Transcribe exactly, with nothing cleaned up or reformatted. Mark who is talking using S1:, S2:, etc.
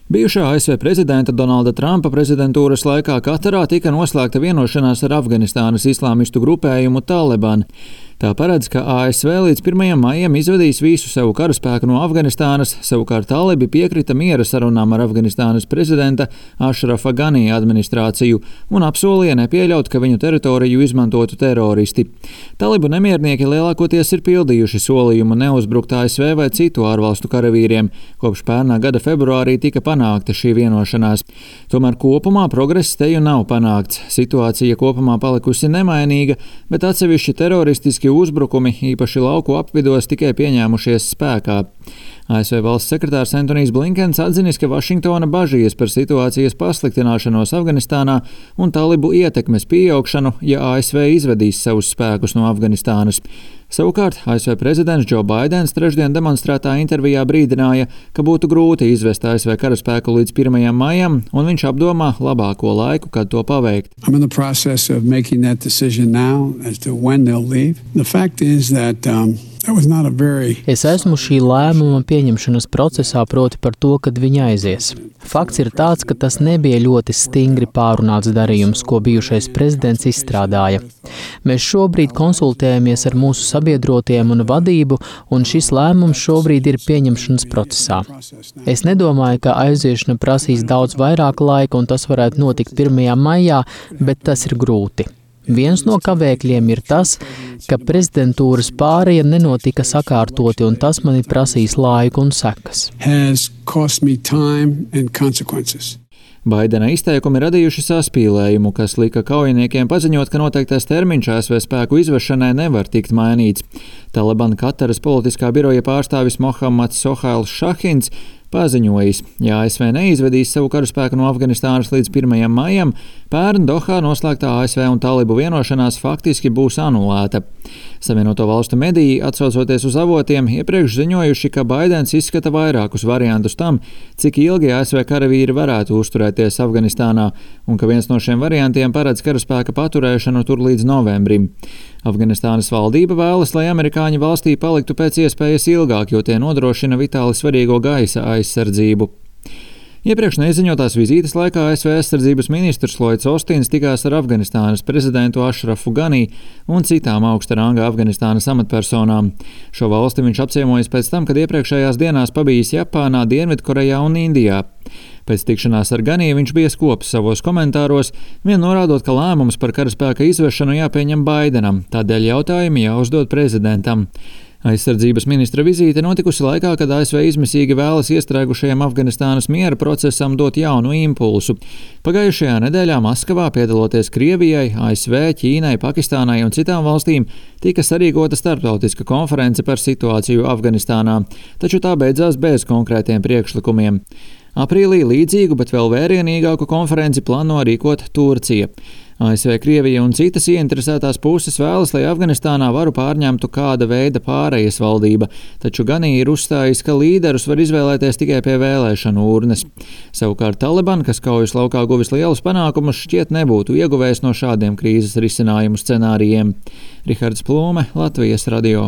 S1: Bijušā A S V prezidenta Donalda Trumpa prezidentūras laikā Katarā tika noslēgta vienošanās ar Afganistānas islāmistu grupējumu Taliban. Tā paredz, ka A S V līdz pirmajam maijam izvedīs visu savu karaspēku no Afganistānas, savukārt talibi piekrita miera sarunām ar Afganistānas prezidenta Ašrafa Ganī administrāciju un apsolīja nepieļaut, ka viņu teritoriju izmantotu teroristi. Talibu nemiernieki lielākoties ir pildījuši solījumu neuzbrukt A S V vai citu ārvalstu karavīriem, kopš pērnā gada februārī tika panākta šī vienošanās. Tomēr kopumā progress teju nav panākts. Situācija kopumā palikusi nemainīga, bet atsevišķi teroristiski uzbrukumi, īpaši lauku apvidos, tikai pieņēmušies spēkā. A S V valsts sekretārs Antonijs Blinkens atzinis, ka Vašingtona bažījies par situācijas pasliktināšanos Afganistānā un talibu ietekmes pieaugšanu, ja A S V izvedīs savus spēkus no Afganistānas. Savukārt A S V prezidents Džo Baidens trešdien demonstrētā intervijā brīdināja, ka būtu grūti izvest A S V karaspēku līdz pirmajam maijam, un viņš apdomā labāko laiku, kad to paveikt.
S2: Es esmu šī lēmuma pieņemšanas procesā, proti par to, kad viņi aizies. Fakts ir tāds, ka tas nebija ļoti stingri pārunāts darījums, ko bijušais prezidents izstrādāja. Mēs šobrīd konsultējamies ar mūsu sabiedrotiem un vadību, un šis lēmums šobrīd ir pieņemšanas procesā. Es nedomāju, ka aiziešana prasīs daudz vairāk laika, un tas varētu notikt pirmajā maijā, bet tas ir grūti. Viens no kavēkļiem ir tas, ka prezidentūras pāreja nenotika sakārtoti, un tas man ir prasījis laiku un sekas.
S1: Baidena izteikumi radījuši saspīlējumu, kas lika kaujiniekiem paziņot, ka noteiktais termiņš A S V spēku izvešanai nevar tikt mainīts. Taliban Kataras politiskā biroja pārstāvis Mohammads Sohails Šahins paziņojis, ja A S V neizvedīs savu karaspēku no Afganistānas līdz pirmajam maijam, pērn Dohā noslēgtā A S V un talibu vienošanās faktiski būs anulēta. Savienoto valstu mediji, atsaucoties uz avotiem, iepriekš ziņojuši, ka Baidens izskata vairākus variantus tam, cik ilgi A S V karavīri varētu uzturēties Afganistānā, un ka viens no šiem variantiem paredz karaspēka paturēšanu tur līdz novembrim. Afganistānas valdība vēlas, lai amerikāņi valstī paliktu pēc iespējas ilgāk, jo tie nodrošina vitāli svarīgo gaisa aizsardzību. Iepriekš neziņotās vizītes laikā A S V aizsardzības ministrs Lloyds Ostins tikās ar Afganistānas prezidentu Ašrafu Ganī un citām augsta ranga Afganistānas amatpersonām. Šo valsti viņš apciemojas pēc tam, kad iepriekšējās dienās pabijis Japānā, Dienvidkorejā un Indijā. Pēc tikšanās ar Ganī viņš bija skops savos komentāros, vien norādot, ka lēmums par karaspēka izvešanu jāpieņem Baidenam, tādēļ jautājumi jāuzdod prezidentam. Aizsardzības ministra vizīte notikusi laikā, kad A S V izmisīgi vēlas iestrēgušajam Afganistānas miera procesam dot jaunu impulsu. Pagājušajā nedēļā Maskavā, piedaloties Krievijai, A S V, Ķīnai, Pakistānai un citām valstīm, tika sarīkota starptautiska konference par situāciju Afganistānā, taču tā beidzās bez konkrētiem priekšlikumiem. Aprīlī līdzīgu, bet vēl vērienīgāku konferenci plāno rīkot Turcija. A S V, Krievija un citas ieinteresētās puses vēlas, lai Afganistānā varu pārņemtu kāda veida pārejas valdība, taču Ganī ir uzstājis, ka līderus var izvēlēties tikai pie vēlēšanu urnes. Savukārt Taliban, kas kaujas laukā guvis lielus panākumus, šķiet nebūtu ieguvējis no šādiem krīzes risinājumu scenārijiem. Rihards Plūme, Latvijas radio.